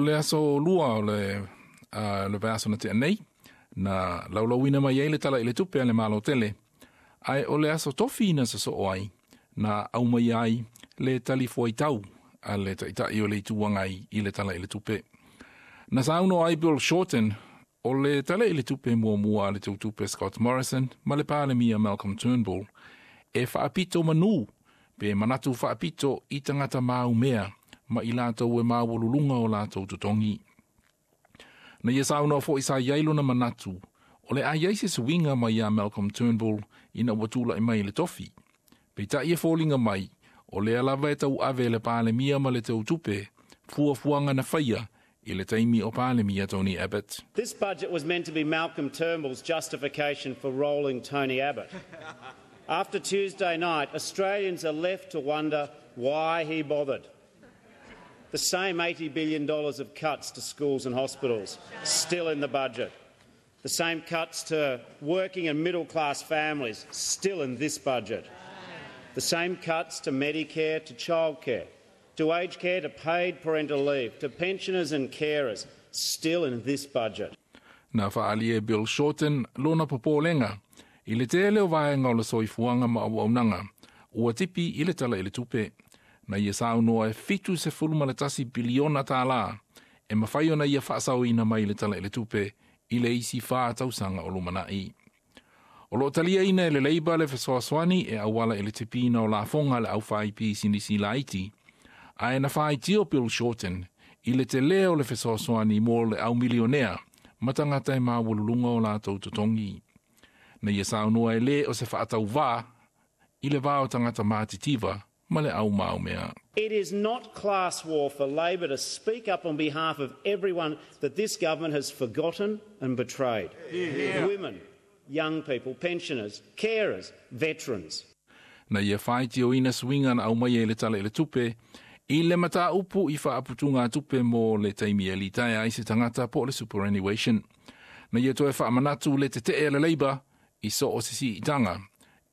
le aso lua o le, le vaiaso na tea nei, na laulauina mai ai le Tala i le Tupe a le Malo tele, ae o le aso tofi na sosoo ai, na aumai ai le talifuaitau a le Taitai o le Itu Agai i le Tala i le Tupe. Na saunoa ai Bill Shorten, o le Tala i le Tupe muamua a le Teutupe Scott Morrison ma le Palemia Malcolm Turnbull, e faapito manu pe manatu faapito i tagata maumea ma i latou e maualuluga o latou totogi. Na ia saunoa foi sa i ai lona manatu, o le a i ai se suiga mai ia Malcolm Turnbull ina ua tulai mai i le tofi. Peitai e foliga mai, o lea lava e tauave e le Palemia ma le Teutupe, fuafuaga na faia i le taimi o Palemia Tony Abbott. This budget was meant to be Malcolm Turnbull's justification for rolling Tony Abbott. After Tuesday night, Australians are left to wonder why he bothered. The same $80 billion of cuts to schools and hospitals still in the budget. The same cuts to working and middle class families still in this budget. The same cuts to Medicare, to childcare, to aged care, to paid parental leave, to pensioners and carers still in this budget. Na faaali e Bill Shorten lona popolega i le tele o vaega o le soifuaga ma auaunaga ua tipi i le Tala i le Tupe. Na ia saunoa e $71 piliona e mafai ona ia faasaoina mai le Tala i le Tupe i le isi 4 tausaga o lumanai. O lo o taliaina e le Labour le fesoasoani e auala i le tipiina o lafoga a le aufaipisinisi laiti, ae na faitio Bill Shorten i le tele o le fesoasoani mo le au milionea ma tagata e maualuluga o latou totogi. Na ia saunoa e le o se faatauvā i le va o tagata matitiva ma le au maumea. It is not class war for Labor to speak up on behalf of everyone that this government has forgotten and betrayed. Women, young people, pensioners, carers, veterans. Na ia faitioina suiga na aumaia i le Tala i le Tupe i le mataupu i faaputugatupe mo le taimi e litaea ai se tagata po o le superannuation. Na ia toe faamanatu le tetee a le Labour i so o se siitaga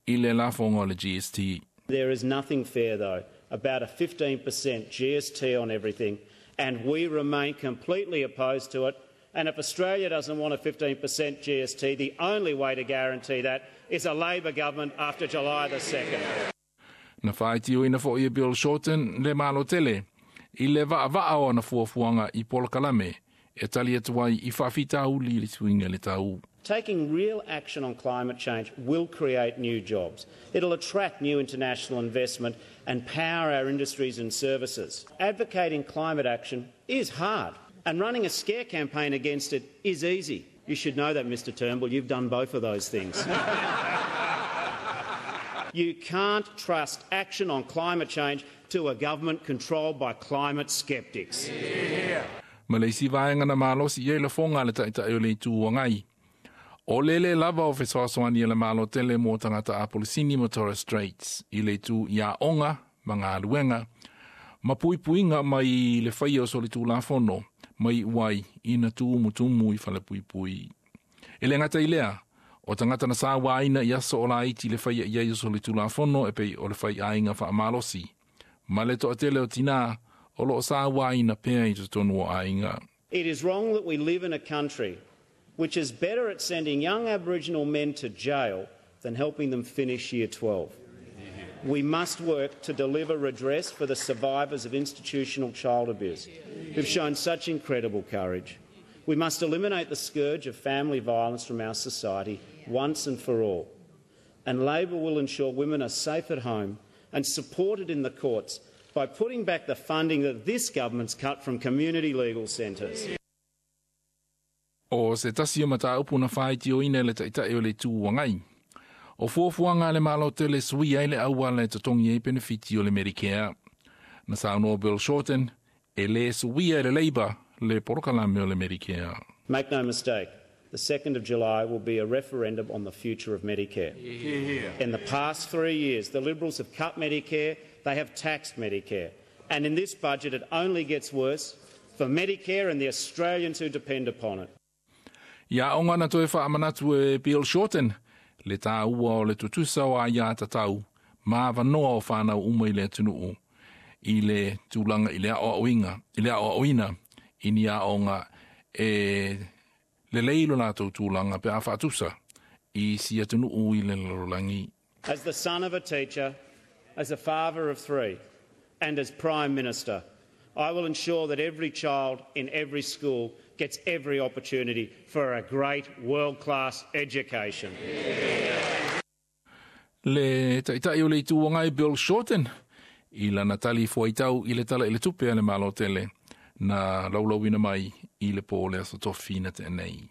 i le lafoga o le GST. There is nothing fair, though, about a 15% GST on everything, and we remain completely opposed to it. And if Australia doesn't want a 15% GST, the only way to guarantee that is a Labor government after July the 2nd. Na faitioina foi e Bill Shorten le Malo tele i le vaavaa o ana fuafuaga i polokalame e tali atu ai i faafitauli i le suiga o le tau. Taking real action on climate change will create new jobs. It'll attract new international investment and power our industries and services. Advocating climate action is hard, and running a scare campaign against it is easy. You should know that, Mr. Turnbull. You've done both of those things. You can't trust action on climate change to a government controlled by climate sceptics. Ma le isi vaega na malosi i ai lafoga a le Taitai o le Itu Agai, o le le lava o fesoasoani a le Malo tele mo tagata Apolisini ma Torres Straits i le itu i aoga ma galuega ma puipuiga mai le faia o solitulafono mai uai ina tumutumu i falepuipui. E le gata i lea, o tagata na sauaina i aso o laiti le faia i ai o solitulafono e pei o le faiaiga faamalosi, ma le toatele o tinā o lo o sauaina pea i totonu o aiga. It is wrong that we live in a country which is better at sending young Aboriginal men to jail than helping them finish year 12. We must work to deliver redress for the survivors of institutional child abuse who've shown such incredible courage. We must eliminate the scourge of family violence from our society once and for all. And Labor will ensure women are safe at home and supported in the courts by putting back the funding that this government's cut from community legal centres. O se tasi o mataupu na faitioina e le Taitai o le Itu Agai, o fuafuaga a le Malo tele e suia ai le auala e totogi ai penefiti o le Medicare. Na saunoa Bill Shorten, e le suia e le Labour le polokalame o le Medicare. Make no mistake, the 2nd of July will be a referendum on the future of Medicare. In the past 3 years, the Liberals have cut Medicare, they have taxed Medicare. And in this budget, it only gets worse for Medicare and the Australians who depend upon it. I aoga na toe faamanatu e Bill Shorten, le tāua o le tutusa o aiātatau, ma avanoa o whānau uma i le atunuu, i le tulaga i le aoaoina, i le aoaoina, I ni aoga e lelei lo latou tulaga pe a faatusa i isi atunuu i le lalolagi. As the son of a teacher, as a father of three, and as Prime Minister, I will ensure that every child in every school gets every opportunity for a great world-class education. Le Taitai o le Itu Agai Bill Shorten i lana tali fuaitau i le Tala i le Tupe a le Malo Tele na laulauina mai i le po o le Aso Tofi na tea nei.